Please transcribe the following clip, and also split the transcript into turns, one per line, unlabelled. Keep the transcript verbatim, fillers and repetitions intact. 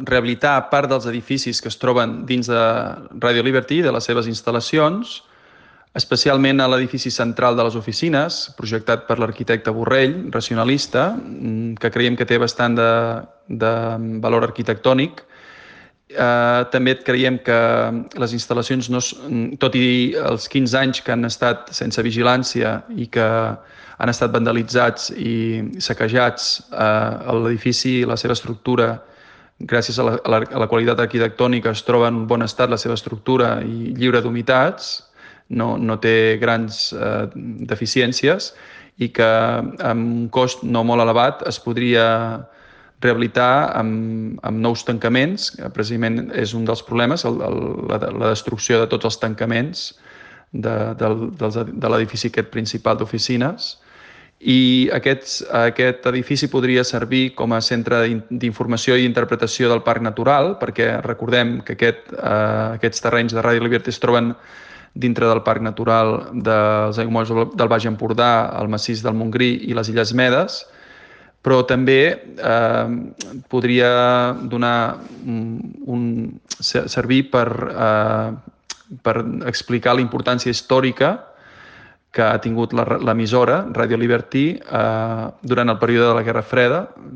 rehabilitar part dels edificis que es troben dins de Radio Liberty, de les seves instal·lacions, especialment a l'edifici central de les oficines, projectat per l'arquitecte Borrell, racionalista, que creiem que té bastant de, de valor arquitectònic. Eh, també creiem que les instal·lacions, no, tot i els quinze anys que han estat sense vigilància i que han estat vandalitzats i saquejats, eh, l'edifici, la seva estructura, gràcies a la, a la, a la qualitat arquitectònica, es troba en bon estat la seva estructura i lliure d'humitats, no, no té grans eh, deficiències, i que amb un cost no molt elevat es podria rehabilitar amb, amb nous tancaments, que precisament és un dels problemes, el, el, la, la destrucció de tots els tancaments de, de, de l'edifici aquest principal d'oficines. I aquest, aquest edifici podria servir com a centre d'informació i interpretació del Parc Natural, perquè recordem que aquest, eh, aquests terrenys de Radio Liberty es troben dintre del Parc Natural dels aiguamolls del Baix Empordà, el massís del Montgrí i les Illes Medes, però també eh, podria donar un, servir per, eh, per explicar la importància històrica que ha tingut l'emissora Radio Liberty eh, durant el període de la Guerra Freda,